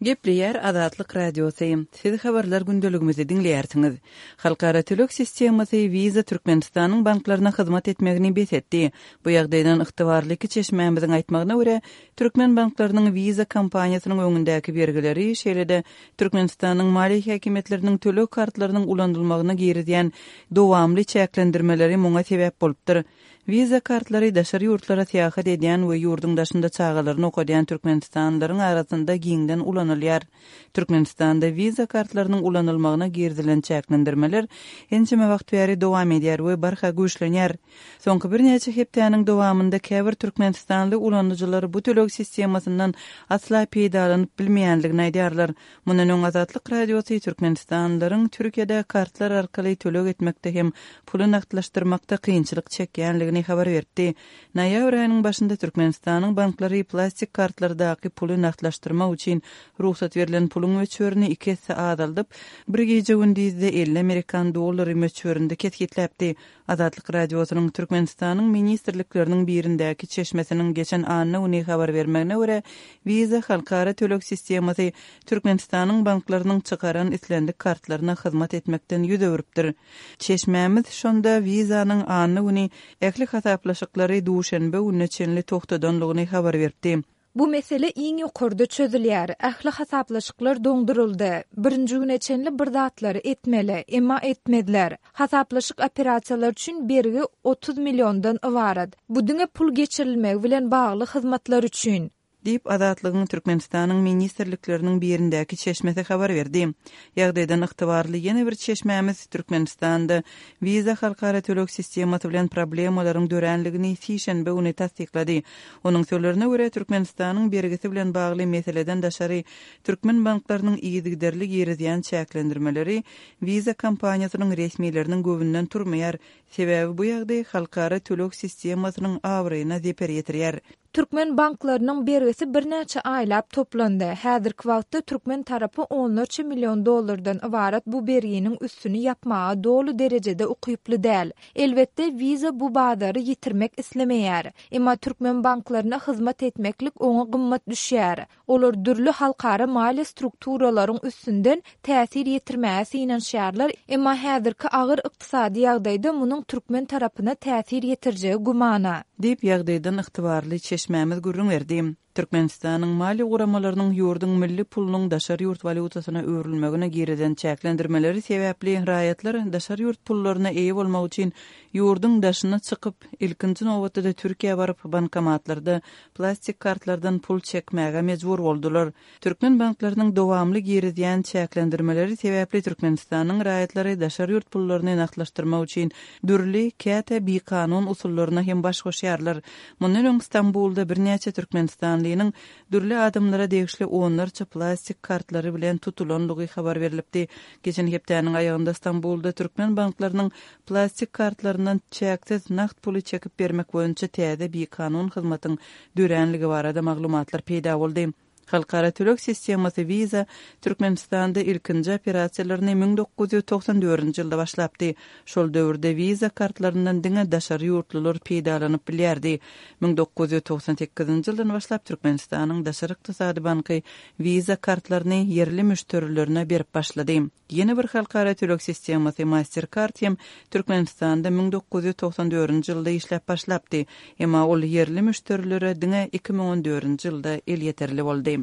Gepleýär Azatlyk Radiosy, Siz habarlar gündeligimizi diňleýärsiňiz. Halkara töleg sistemasy Visa Türkmenistanyň banklaryna hyzmat etmegini bes etdi. Bu ýagdaýdan ygtybarly iki çeşmämiziň aýtmagyna görä, türkmen banklarynyň Visa kompaniýasynyň öňündäki bergileri, şeýle-de Türkmenistanyň maliýe häkimiýetleriniň töleg kartlarynyň ulanylmagyna girizýän dowamly çäklendirmeleri muňa sebäp bolupdyr. Visa kartlary daşary ýurtlara syýahat edýän we ýurduň daşynda çagalaryny okadýan türkmenistanlylaryň arasynda giňden ulanylýar. Türkmenistanda Visa kartlarynyň ulanylmagyna girizilen çäklendirmeler ençeme wagt bäri dowam edýär we barha güýçlenýär. Soňky birnäçe hepdäniň dowamynda käbir türkmenistanly ulanyjylar bu töleg sistemasyndan asla peýdalanyp bilmeýändigini aýdýarlar. Mundan öň Azatlyk Radiosy türkmenistanlylaryň Türkiýede kartlar arkaly töleg etmekde hem puly nagtlaşdyrmakda kynçylyk çekýändigini habar beripdi. Noýabr aýynyň başynda Türkmenistanyň banklary plastik kartlardaky puly nagtlaşdyrmak üçin rugsat berlen puluň möçberini iki esse azaldyp, bir gije-gündizde 50 amerikan dollary möçberinde kesgitläpdi. Azatlyk Radiosynyň Türkmenistanyň ministrlikleriniň birindäki çeşmesiniň geçen anna güni habar bermegine görä, Visa halkara töleg sistemasy Türkmenistanyň banklarynyň çykaran islendik kartlaryna hyzmat etmekden ýüz öwrüpdir. Çeşmämiz şonda Visa-nyň anna güni ähli hasaplaşyklary duşenbe gününe çenli togtadanlygyny habar beripdi. Bu mesele iň ýokarda çözülýär. Ähli hasaplaşyklar doňduryldy. Birinji güne çenli bir zatlary etmeli, emma etmezler. Hasaplaşyk operasiýalary üçin bergi 30 milliondan ybarat. Bu diňe pul geçirilmegi bilen bagly hyzmatlar üçin. Diýip, Azatlygyň Türkmenistanyň ministrlikleriniň birindäki çeşmesi habar berdi. Ýagdaýdan ygtybarly ýene bir çeşmämiz Türkmenistanda Visa halkara töleg sistemasy bilen problemalaryň döränligini sişenbe güni tassyklady. Onuň sözlerine görä, Türkmenistanyň bergisi bilen bagly meseleden daşary, türkmen banklarynyň yzygiderli girizýän çäklendirmeleri Visa kompaniýasynyň resmileriniň göwnünden turmaýar, sebäbi bu ýagdaý halkara töleg sistemasynyň abraýyna zeper ýetirýär. Türkmen banklarynyň bergisi birnäçe aýlap toplandy. Häzirki wagtda türkmen tarapy onlarça million dollardan ybarat bu berginiň üstüni ýapmaga doly derejede ukyply däl. Elbetde, Visa bu bazary ýitirmek islemeýär. Emma türkmen banklaryna hyzmat etmeklik oňa gymmat düşýär. Olar dürli halkara maliýe strukturalaryň üstünden täsir ýetirmäge synanyşýarlar, emma häzirki agyr ykdysady ýagdaýda munuň türkmen tarapyna täsir ýetirjegi gümana. Diýip, ýagdaýdan ygtybarly çeşmämiz gürrüň berdi. Türkmenistanyň maliýe guramalarynyň ýurduň milli pulunyň daşary ýurt walýutasyna öwrülmegine girizen çäklendirmeleri sebäpli raýatlar daşary ýurt pullaryna eýe bolmak üçin ýurduň daşyna çykyp, ilkinji nobatda-da Türkiýä baryp, bankomatlarda plastik kartlardan pul çekmäge mejbur boldular. Türkmen banklarynyň dowamly girizýän çäklendirmeleri sebäpli Türkmenistanyň raýatlary daşary ýurt pullaryny nagtlaşdyrmak üçin dürli, käte bikanun usullaryna hem baş goşýarlar. Mundan öň Stambulda birnäçe türkmenistanlynyň dürli adamlara degişli onlarça plastik kartlary bilen tutulanlygy habar berlipdi. Geçen hepdäniň aýagynda Stambulda türkmen banklarynyň plastik kartlaryndan çäksiz nagt puly çekip bermek boýunça täze bikanun hyzmatyň döränligi barada maglumatlar peýda boldy. Halkara töleg sistemasy Visa Türkmenistanda ilkinji operasiýalaryny 1994-nji ýylda başlapdy. Şol döwürde Visa kartlaryndan diňe daşary ýurtlular peýdalanyp bilýärdi. 1998-nji ýyldan başlap Türkmenistanyň Daşary ykdysady banky Visa kartlaryny ýerli müşderilerine berip başlady. Ýene bir halkara töleg sistemasy Mastercard hem Türkmenistanda 1994-nji ýylda işläp başlapdy. Emma ol ýerli müşderilere diňe 2014-nji ýylda elýeterli boldy.